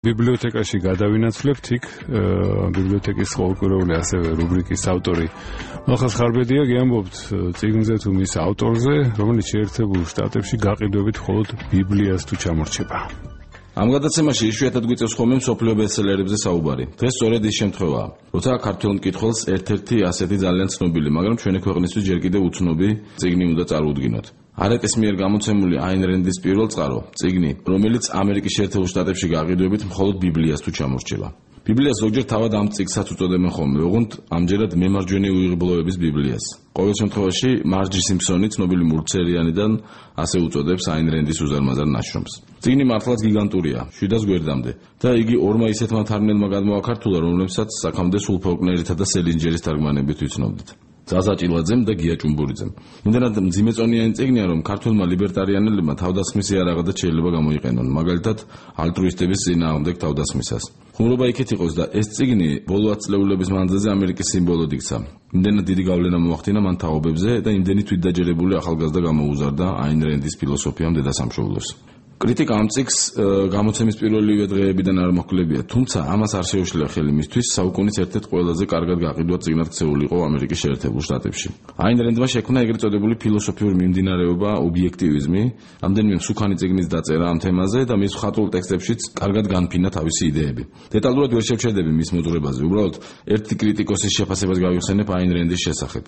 ბიბლიოთეკაში გადავინაცვლებთ იქ ბიბლიოთეკის ყოველკვირეული ასევე რუბრიკის ავტორი მალხაზ ხარბედია გიამბობთ წიგნზე თუ მის ავტორზე, რომელიც შეერთებულ შტატებში გაყიდვებით მხოლოდ ბიბლიას თუ ჩამორჩება. ამ გადაცემაში იშვიათად გვიწევს ხოლმე მსოფლიო ბესტსელერებზე საუბარი. დღეს სწორედ ის შემთხვევაა, როცა ქართველ მკითხველს ერთ-ერთი ასეთი ძალიან ცნობილი, მაგრამ ჩვენი ქვეყნისთვის ჯერ კიდევ უცნობი წიგნი უნდა წარუდგინოთ. არეტის მიერ გამოცემული აინ რენდის პირველ წყარო, წიგნი, რომელიც ამერიკის შეერთებულ შტატებში გაყიდვებით მხოლოდ ბიბლიას თუ ჩამორჩება. ბიბლიას ზოგჯერ თავად ამ წიგნსაც უწოდებენ ხოლმე, ოღონდ ამჯერად მემარჯვენე უიღბლოების ბიბლიას. ყოველ შემთხვევაში მარჯი სიმფსონი, ცნობილი მულტსერიალიდან, ასე უწოდებს აინ რენდის უზარმაზარ ნაშრომს. წიგნი მართლაც გიგანტურია, 700 გვერდამდე და იგი ორმა ისეთმა თარგმნელმა გადმოაქართულა, რომლებსაც აქამდე სულ ფოლკნერითა და სელინჯერის თარგმანებით ვიცნობდით. ზაზა ჭილაძემ და გია ჭუმბურიძემ. იმდენად მძიმეწონიანი წიგნია, რომ ქართულმა ლიბერტარიანელებმა თავდასხმის იარაღად შეიძლება გამოიყენონ, მაგალითად ალტრუისტების წინააღმდეგ თავდასხმისას. ხუმრობა იქით იყოს და ეს წიგნი ბოლო 10 წლეულების მანძილზე ამერიკის სიმბოლოდ იქცა. იმდენად დიდი გავლენა მოახდინა მან თაობებზე და იმდენი თვითდაჯერებული ახალგაზრდა გამოუზარდა აინ რენდის ფილოსოფიამ დედასამშობლოს. კრიტიკა ამ წიგნს გამოცემის პირველივე დღეებიდან არ მოხლებია, თუმცა ამას არ შეუშლია ხელი მისთვის საუკუნის ერთ-ერთ ყველაზე კარგად გაყიდვად წიგნად ქცეულიყო ამერიკის შეერთებულ შტატებში. აინ რენდმა შექმნა ეგრეთ წოდებული ფილოსოფიური მიმდინარეობა ობიექტივიზმი, რამდენიმე მსუქანი წიგნის დაწერა ამ თემაზე და მის მხატვრულ ტექსტებშიც კარგად განფინა თავისი იდეები. დეტალურად ვერ შევჩერდები მის მოძღვრებაზე, უბრალოდ ერთი კრიტიკოსის შეფასებას გავიხსენებ აინ რენდის შესახებ.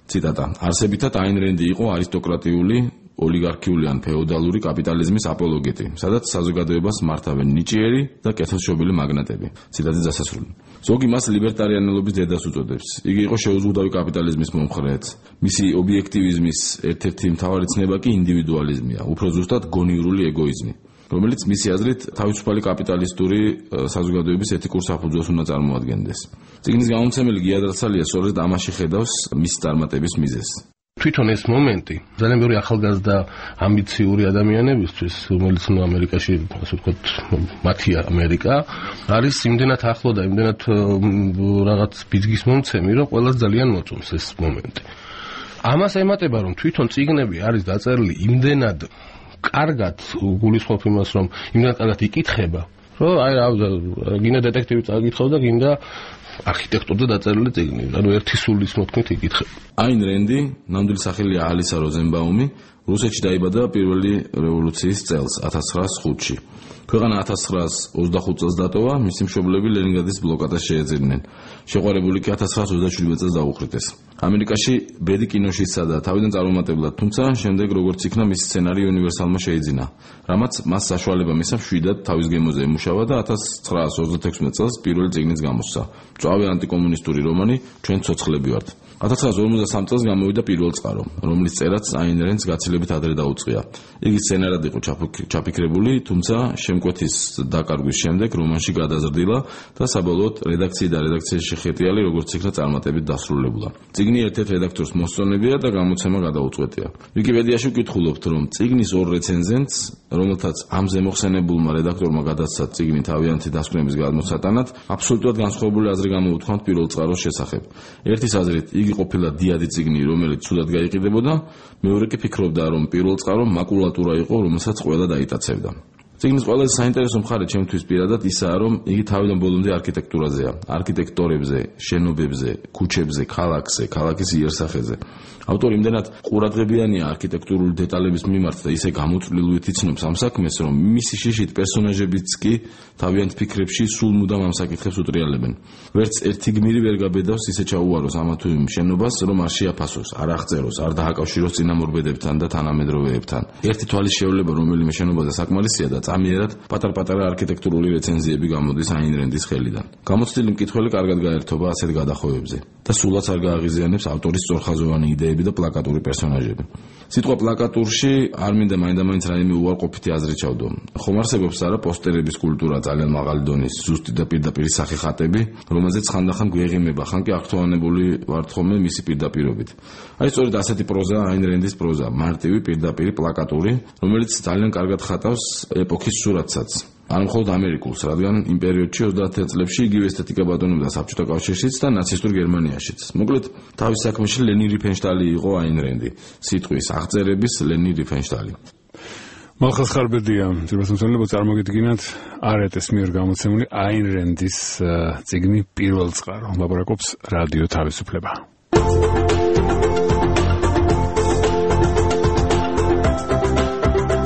ციტატა: არსებითად აინ რენდი იყო არისტოკრატიული ოლიგარქიული ან ფეოდალური კაპიტალიზმის აპოლოგეტი, სადაც საზოგადოებას მართავენ ნიჭიერი და კეთილშობილი მაგნატები. ციტატის დასასრული. ზოგი მას ლიბერტარიანელობის დედას უწოდებს. იგი იყო შეუზღუდავი კაპიტალიზმის მომხრეც. მისი ობიექტივიზმის ერთ-ერთი მთავარი ცნება კი ინდივიდუალიზმია, უფრო ზუსტად გონივრული ეგოიზმი, რომელიც მისი აზრით თავისუფალი კაპიტალისტური საზოგადოების ეთიკურ საფუძველს უნდა წარმოადგენდეს. წიგნის გამომცემელი გია დრაცალია სწორედ ამაში ხედავს მის წარმატების მიზეზს. თვითონ ეს მომენტი ძალიან ბევრი ახალგაზრდა ამბიციური ადამიანებისთვის, რომელიც ამერიკაში, ასე ვთქვათ, მათია ამერიკა, არის იმდენად ახლო და იმდენად რაღაც ბიძგის მომცემი, რომ ყველას ძალიან მოწონს ეს მომენტი. ამას ემატება, რომ თვითონ წიგნები არის დაწერილი იმდენად კარგად, გულისხმობ იმას, რომ იმდენად კარგად იკითხება, რომ გინდა დეტექტივი წაგიკითხავ და გინდა არქიტექტურზე დაწერილი წიგნი, ანუ ერთი სულის მოთქმით იკითხება. აინ რენდი, ნამდვილი სახელია ალისა როზენბაუმი, რუსეთში დაიბადა პირველი რევოლუციის წელს 1905-ში. ქვეყანა 1925 წელს დატოვა, მისი მშობლები ლენინგრადის ბლოკადას შეეძინენ. შეყვარებული კი 1927 წელს დაუხრიტეს. ამერიკაში ბედი კინოში ისადა თავიდან წარუმატებლად, თუმცა შემდეგ როგორც იქნა მისი სცენარი უნივერსალმა შეიძინა, რამაც მას საშუალება მისცა მშვიდად თავის გემოზე ემუშავა და 1936 წელს პირველი წიგნიც გამოსცა. მწვავე ანტიკომუნისტური რომანი ჩვენ ცოცხლები ვართ. 1953 წელს გამოვიდა პირველ წყარო, რომლის წერაც აინ რენდს გაცილებით ადრე დაუწყია. იგი სცენარად იყო ჩაფიქრებული, თუმცა შემკვეთის დაკარგვის შემდეგ რომანში გადაზრდილა და საბოლოოდ რედაქციის შეხეტიალი როგორც იქნა წარმატებით დასრულებულა. წიგნი ერთ-ერთ რედაქტორს მოსწონებია და გამოცემა გადაუწყვეტია. ვიკიპედიაში ვკითხულობთ, რომ წიგნის ორ რეცენზენტს, რომელთაც ამ ზემოხსენებულმა რედაქტორმა გადასცა წიგნი თავიანთი დასკვნების გადმოსატანად, აბსოლუტურად განსხვავებული აზრი გამოუთქვამთ პირველ წყაროს შესახებ. ერთის აზრით, იგი ყოფილა დიადი წიგნი, რომელიც ცუდად გაიყიდებოდა, მეორე კი ფიქრობდა, რომ პირველ წყარო მაკულატურა იყო, რომელსაც ყველა დაიტაცებდა. წიგნის ყველაზე საინტერესო მხარე ჩემთვის პირადად ისაა, რომ იგი თავიდან ბოლომდე არქიტექტურაზეა, არქიტექტორებზე, შენობებზე, ქუჩებზე, ქალაქზე, ქალაქის იერსახეზე. ავტორი იმდენად ყურადღებიანია არქიტექტურული დეტალების მიმართ და ისე გამოწვლილივით იცნობს ამ საქმეს, რომ მისი შიშით პერსონაჟებიც კი თავიანთ ფიქრებში სულ მუდამ ამ საკითხებს უტრიალებენ. ვერც ერთი გმირი ვერ გაბედავს ისე ჩაუვაროს ამა თუ იმ შენობას, რომ არ შეაფასოს, არ აღწეროს, არ დააკავშიროს წინამორბედებთან და თანამედროვეებთან. ერთი თვალის შევლება რომელიმე შენობაზე საკმარისია და წამიერად პატარ-პატარა არქიტექტურული რეცენზიები გამოდის აინ რენდის ხელიდან. გამოცდილი მკითხველი კარგად გაერთობა ასეთ გადახოვებზე და სულაც არ გააღიზიანებს ავტორის სწორხაზოვანი იდეები და პლაკატური პერსონაჟები. სიტყვა პლაკატურში არ მინდა მაინდა-მაინც რაიმე უარყოფითი აზრი ჩავდო. ხომ არსებობს არა პოსტერების კულტურა ძალიან მაღალი დონის, ზუსტი და პირდაპირი სახე ხატები, რომელზეც ხანდახან გვეღიმება, ხან კი აღთხოვანებული ვართ ხოლმე მისი პირდაპირობით. აი სწორედ ასეთი პროზა აინ რენდის პროზა, მარტივი, პირდაპირი, პლაკატური, რომელიც ძალიან კარგად ხატავს ეპოქის სურათსაც. არ მხოლოდ ამერიკულს, რადგან იმ პერიოდში 30 წლებში იგივე ესთეტიკა ბატონობდა საბჭოთა კავშირშიც და ნაცისტურ გერმანიაშიც. მოკლედ, თავის საქმეში ლენი რიფენშტალი იყო აინ რენდი, სიტყვის აღწერების ლენი რიფენშტალი. მალხაზ ხარბედია, ძირფასმცველებო წარმოგიდგინათ არეტეს მიერ გამოცემული აინ რენდის წიგნი პირველ წყარო. ლაპარაკობს რადიო თავისუფლება.